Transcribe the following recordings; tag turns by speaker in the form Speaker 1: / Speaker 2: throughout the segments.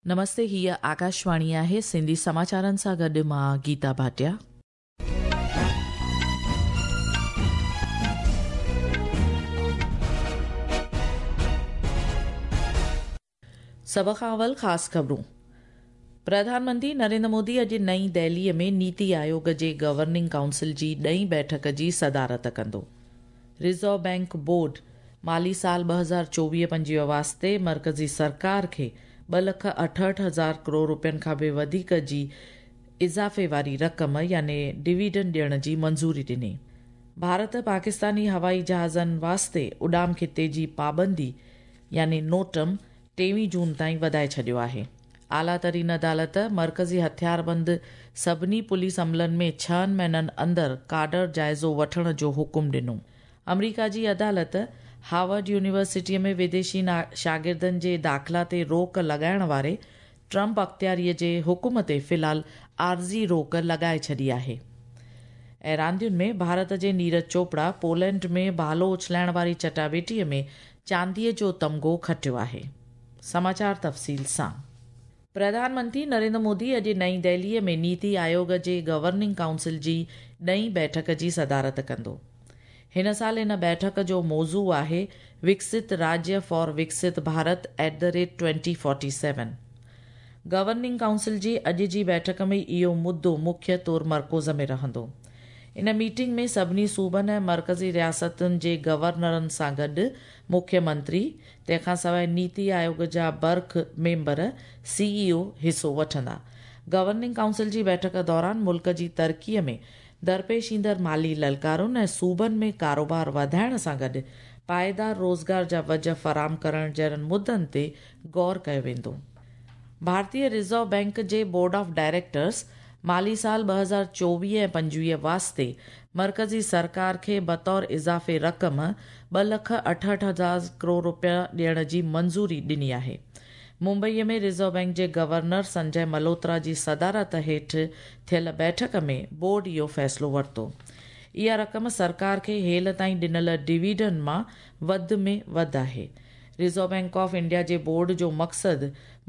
Speaker 1: نمستي هيء آڪاشواڻي آهي سنڌي سماچارن سان گڏ مان گيتا ڀاٽيا. سڀ کان اول خاص خبرون پرڌان منتري نريندر مودي اڄ نئين دهليء ۾ نيتي آيوگ جي گورننگ ڪائونسل جي ڏهين بيٺڪ جي صدارت ڪندو. رزرو بئنڪ بورڊ مالي سال 2024-25 واسطي مرڪزي سرڪار کي ٻه لک اٺهٺ هزار ڪروڙ رپين کان به وڌيڪ جي اضافي واري رقم يعني ڊويڊنڊ ڏيڻ جي منظوري ڏني. ڀارت پاڪستاني هوائي جهازن واسطي اڏام خطي جي پابندي يعني نوٽم ٽيويهه جون تائين وڌائي ڇڏيو آهي. اعليٰ ترين عدالت مرڪزي هٿياربند سڀني پوليس عملن ۾ ڇهن مهينن اندر ڪاڊر جائزو وٺڻ جو حڪم ڏنو. آمريڪا جي عدالت هارورڊ يونيورسٽيء ۾ وديشي شاگردن جي داخلا تي روڪ لڳائڻ واري ٽرمپ اختياريء جي حڪم تي في الحال عارضي روڪ لڳائي ڇڏي آهي. ۽ راندين ۾ ڀارت جي نيرج چوپڙا پولينڊ ۾ ڀالو اڇلائڻ واري چٽاڀيٽيء ۾ چانديء جو تمغو کٽيو آهي. سماچار تفصيل سان پرڌان منتري نريندر مودي اڄ نئين دهليء ۾ نيتي آيوگ جي گورننگ ڪائونسل جي ڏهين بيٺڪ جي صدارت ڪندو. هن سال ان بيٺڪ جو موضوع آهي وڪست راجيه for وڪست Bharat at the rate twenty forty seven. Governing council جي اڄ جي بيٺڪ ۾ اهو مدو مکيه طور مرڪوز ۾ رهندو. ان ميٽنگ ۾ سڀني صوبن ۽ مرڪزي رياستن جي گورنرن سان گڏ مکيه منتري، تنهن کان سواء نيتي آيوگ جا برک ميمبر، سي اي او حصو وٺندا. گورننگ ڪائونسل جي بيٺڪ دوران ملڪ جي ترقي ۾ درپيش ايندڙ مالي للڪارن ۽ صوبن ۾ ڪاروبار وڌائڻ سان گڏ پائيدار روزگار جا وجهه فراهم ڪرڻ جهڙن مدن تي غور ڪيو ويندو. ڀارتي رزرو بئنڪ جي بورڊ آف ڊائريڪٽرز مالي سال 2024 ۽ 25 واسطي مرڪزي سرڪار کي بطور اضافي رقم ٻه لک اٺهٺ هزار ڪروڙ رپيا ڏيڻ جي منظوري ڏني آهي. ممبئيء ۾ رزرو بئنڪ جي گورنر سنجي ملهوترا جي صدارت هيٺ ٿيل بيٺڪ ۾ بورڊ اهو فيصلو ورتو. اها رقم سرڪار کي هيل تائين ڏنل ڊويڊنڊ مان وڌ ۾ وڌ آهي. رزرو بئنڪ آف انڊيا جي بورڊ جو مقصد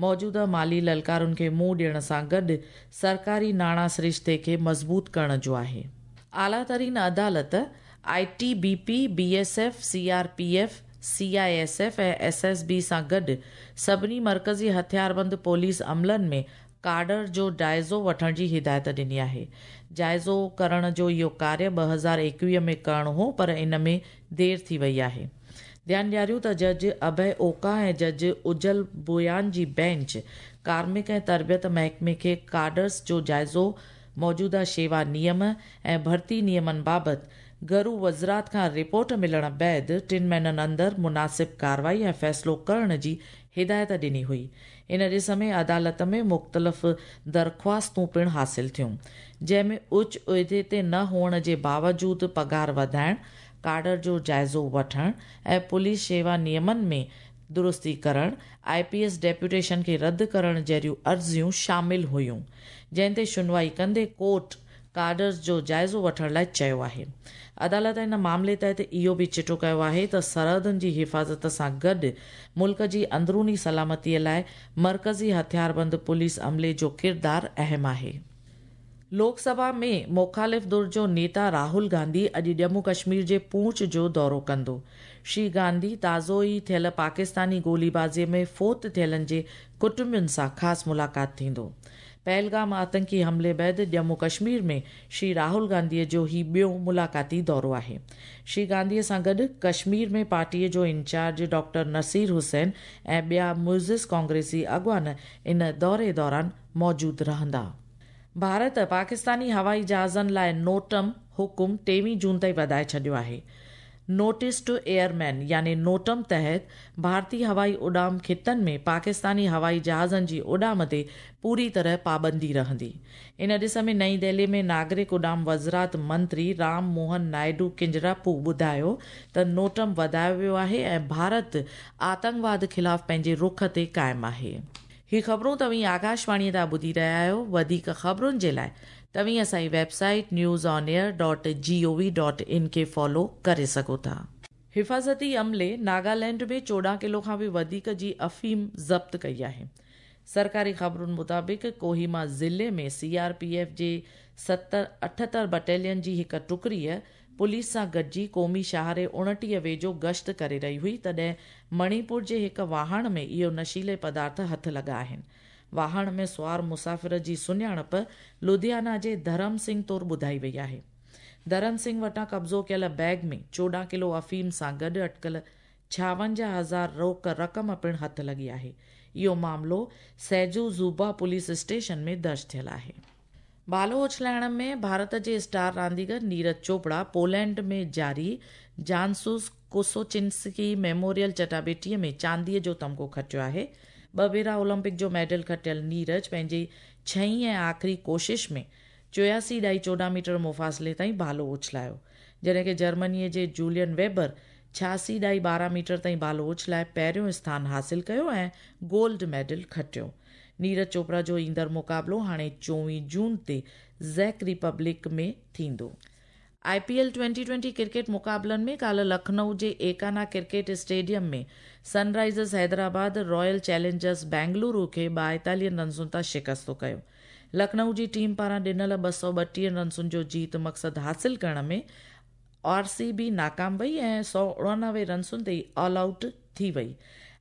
Speaker 1: موجوده مالي للڪارن کي منهن ڏيڻ سان گڏ سرڪاري ناڻا سرشتي کي مضبوط ڪرڻ جو آهي. اعليٰ ترين عدالت I T B P, B S F, C R P F, C I S F ۽ S S B سان گڏ سڀني مرڪزي هٿياربند پوليس عملن ۾ ڪاڊر جو جائزو وٺڻ جي هدايت ڏني آهي. جائزو ڪرڻ جو اهو ڪاريه 2021 ۾ ڪرڻو هو پر ان ۾ دير ٿي وئي آهي. ڌيان ڏياريون ته جج اڀي اوڪا ۽ جج اجل بويان جي بينچ ڪارمڪ ۽ تربيت محڪمي کي ڪاڊرز جو جائزو موجوده شيوا نيم ۽ ڀرتي نيمن بابت گهرو وزارت کان رپورٽ ملڻ بعد ٽن مهينن اندر مناسب ڪارروائي ۽ فيصلو ڪرڻ جي هدايت ڏني هئي. ان ڏس ۾ عدالت ۾ مختلف درخواستون پڻ حاصل ٿيون، جنهن ۾ اچ عهدي تي نه هئڻ جي باوجود پگهار وڌائڻ، ڪاڊر جو جائزو وٺڻ ۽ پوليس شيوا نيمن ۾ درستي ڪرڻ، آء پي ايس ڊيپوٽيشن کي رد ڪرڻ جهڙيون عرضيون شامل هيون، جنهن تي شنوائي ڪندي ڪورٽ ڪاڊرز جو جائزو وٺڻ لاء چيو آهي. عدالت ان معاملي تحت اهو به چٽو ڪيو آهي ته سرحدن جي حفاظت سان گڏ ملڪ جي اندروني سلامتي لاء مرڪزي هٿياربند پوليس عملي جو ڪردار اهم آهي. لوڪ سڀا ۾ مخالف ڌر جو نيتا راهول گانڌي اڄ ڄمون ڪشمير جي پونچ جو دورو ڪندو. شري گانڌي تازو ئي ٿيل پاڪستاني گوليبازي ۾ فوت ٿيلن جي ڪٽنبن سان خاص ملاقات ٿيندو. پهلگام آتنڪي حملي بعد ڄمون ڪشمير ۾ شري راهول گانڌي جو هي ٻيو ملاقاتي دورو آهي. شري گانڌي سان گڏ ڪشمير ۾ پارٽيء جو انچارج ڊاڪٽر نصير حسين ۽ ٻيا معزز ڪانگريسي اڳواڻ ان دوري دوران موجود رهندا. ڀارت پاڪستاني هوائي جهازن لاء نوٽم حڪم ٽيويهه جون تائين وڌائي ڇڏيو آهي. نوٽيس ٽو ايئرمين يعني نوٽم تحت ڀارتي هوائي اڏام خطن ۾ پاڪستاني هوائي جهازن جي اڏام تي پوري طرح پابندي رهندي. ان ڏس ۾ نئين دهلي ۾ ناگرڪ اڏام وزارت منتري رام موهن نائيڊو ڪنجراپو ٻڌايو ته نوٽم وڌايو ويو آهي ۽ ڀارت آتنڪواد خلاف پنهنجي رخ تي قائم آهي. هي خبرون توهين آڪاشواڻيء تان ٻڌي رهيا آهيو. وڌيڪ خبرن جي لاء توهين اسان جي website news on air dot G O V dot in کي فالو ڪري سگهو ٿا. حفاظتي عملي ناگالينڊ ۾ 14 ڪلو کان به وڌيڪ جي افيم ضبط ڪئي آهي. सरकारी ख़बरुनि मुताबिक़ कोहिमा ज़िले में सीआरपीएफ जे 78 बटालियन जी हिकु टुकड़ीअ पुलिस सां गॾिजी क़ौमी शाहरे 29 वेझो गश्त करे रही हुई, तॾहिं मणिपुर जे हिकु वाहण में इहो नशीले पदार्थ हथ लॻा आहिनि। वाहण में सुवार मुसाफ़िर जी सुञाणप लुधियाना जे धर्म सिंह तौरु ॿुधाई वई आहे। धर्म सिंह वटां कब्ज़ो कयल बैग में 14 किलो अफ़ीम सां गॾु अटकल 56,000 रोक रक़म पिणु हथ लॻी आहे। इहो मामिलो सैजू ज़ूबा पुलिस स्टेशन में दर्ज थियल आहे। भालो उछलाइण में भारत जे स्टार रांदीगर नीरज चोपड़ा पोलैंड में जारी जानसूस कोसोचिंस्की मेमोरियल चटाबेटीअ में चांदीअ जो तमगो खटियो आहे। ॿ भेरा ओलंपिक जो मेडल खटियल नीरज पंहिंजी छहीं ऐं आख़िरी कोशिश में 84.14 मीटर मुफ़ासिले ताईं भालो उछलायो, जॾहिं की जर्मनीअ जे जूलियन वेबर 86.12 मीटर ताईं भालो उछलाए पहिरियों स्थान हासिल कयो ऐं गोल्ड मेडल खटियो। नीरज चोपड़ा जो ईंदड़ मुक़ाबिलो हाणे 24 जून ते ज़ेक रिपब्लिक में थींदो। IPL 2020 cricket मुक़ाबलनि में काल्ह लखनऊ जे Ekana cricket stadium में Sunrisers Hyderabad Royal Challengers Bengaluru खे 42 रनसुनि तां शिकस्तो कयो। लखनऊ जी टीम पारां ॾिनल 232 रनसुनि जो जीत मक़सदु हासिल करण में आरसीबी नाकाम वई ऐं 189 रनसुनि ते ऑल आउट थी वई।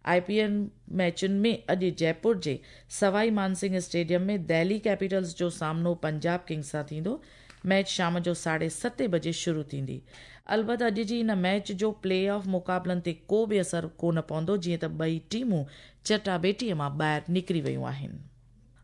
Speaker 1: आईपीएल मैचुनि में अॼु जयपुर जे सवाई मानसिंह स्टेडियम में दिल्ली कैपिटल्स जो सामनो पंजाब किंग्स सां थींदो। मैच शाम जो 7:30 बजे शुरू थींदी। अलबत अॼु जी इन मैच जो प्ले ऑफ मुक़ाबलनि ते को बि असरु कोन पवंदो, जीअं त ॿई टीमूं चटाबेटीअ मां ॿाहिरि निकिरी वियूं आहिनि।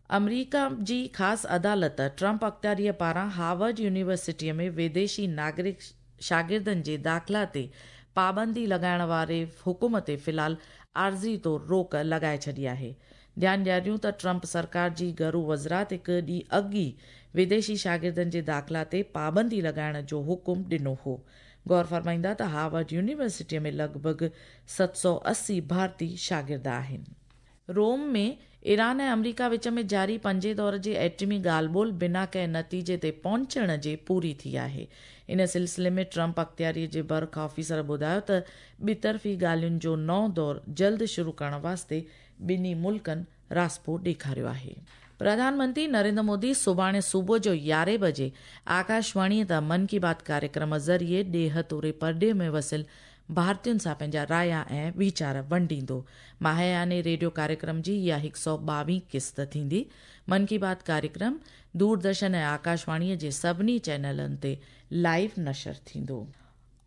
Speaker 1: अमरीका जी ख़ासि अदालत ट्रंप अख़्तियारीअ पारां हार्वर्ड यूनिवर्सिटीअ में विदेशी नागरिक शागिर्दनि जे दाख़िला ते पाबंदी लॻाइण वारे हुकुम ते फ़िलहाल आर्ज़ी तौरु रोक लॻाए छॾी आहे। ध्यानु ॾियारियूं त ट्रंप सरकार जी घरू वज़ारत हिकु ॾींहुं अॻु ई विदेशी शागिर्दनि जे दाख़िला ते पाबंदी लॻाइण जो हुकुम ॾिनो हो। गौर फरमाईंदा त हार्वर्ड यूनिवर्सिटीअ में लॻभॻि 780 भारतीय शागिर्द आहिनि। रोम में ईरान ऐं अमरीका विच में जारी पंजे दौर जी एटमी ॻाल्हि ॿोल बिना कंहिं नतीजे ते पहुचण जे पूरी थी आहे। इन सिलसिले में ट्रंप अख़्तियारीअ जे बर्ख ऑफिसर ॿुधायो त ॿितरफ़ी ॻाल्हियुनि जो नओं दौर जल्द शुरू करण वास्ते ॿिन्ही मुल्कनि रास्पो ॾेखारियो आहे। प्रधानमंत्री नरेंद्र मोदी सुभाणे सुबुह जो 11 बजे आकाशवाणीअ तां मन की बात कार्यक्रम ज़रिए ॾेह तोड़े परॾेह में वसियल भारतीयुनि सां पंहिंजा राया ऐं वीचार वंडींदो। माहियाने रेडियो कार्यक्रम जी इहा 122 क़िस्त थींदी। मन की बात कार्यक्रम दूरदर्शन ऐं आकाशवाणीअ जे सभिनी चैनलनि ते लाइव नशर थींदो।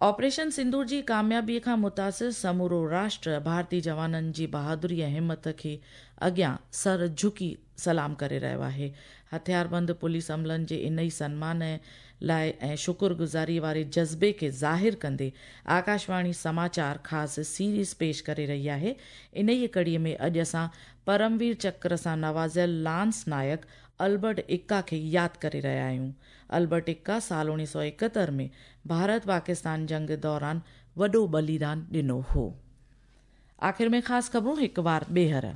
Speaker 1: ऑपरेशन सिंदूर जी कामयाबीअ खां मुतासिर समूरो राष्ट्र भारतीय जवाननि जी बहादुरी ऐं हिमत खे अॻियां सर झुकी सलाम करे रहियो आहे। हथियारबंद पुलिस अमलनि जे इन ई सनमान लाइ ऐं शुक्रगुज़ारी वारे जज़्बे खे ज़ाहिर कंदे आकाशवाणी समाचार ख़ासि सीरीज़ पेश करे रही आहे। इन ई कड़ीअ में अॼु असां परमवीर चक्र सां नवाज़ियल लांस नायक अल्बर्ट इक्का खे यादि करे रहिया आहियूं। अल्बर्ट इक्का साल 1971 में भारत पाकिस्तान जंग दौरान वॾो बलिदान ॾिनो हो। आख़िर में ख़ासि ख़बरूं हिकु वार ॿीहर।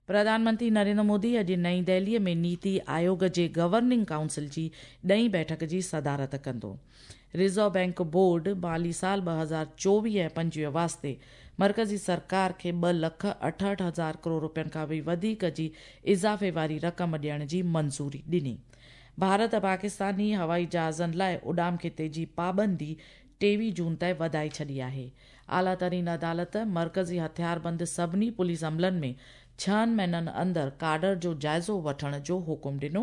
Speaker 1: प्रधानमंत्री नरेंद्र मोदी अॼु नई दिल्लीअ में नीति आयोग जे गवर्निंग काउंसिल जी ॾहीं बैठक जी सदारत कंदो। रिज़र्व बैंक बोर्ड माली साल 2024 ऐं 25 वास्ते मर्कज़ी सरकार खे 2,68,000 करोड़ रुपयनि खां बि वधीक जी इज़ाफ़े वारी रक़म ॾियण जी मंज़ूरी ॾिनी। भारत पाकिस्तानी हवाई जहाज़नि लाइ उॾाम खिते जी पाबंदी 23 जून ताईं वधाए छॾी आहे। आला तरीन अदालत मर्कज़ी हथियारबंद सभिनी पुलिस अमलनि में 6 महीननि अंदरि काडर जो जाइज़ो वठण जो हुकुम ॾिनो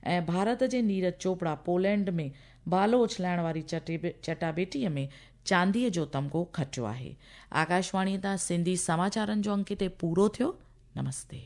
Speaker 1: ऐं भारत जे नीरज चोपड़ा पोलैंड में भालो उछलाइण वारी चटाबेटीअ में चांदीअ जो तमगो खटियो आहे। आकाशवाणीअ तां सिंधी समाचारनि जो अंक हिते पूरो थियो। नमस्ते।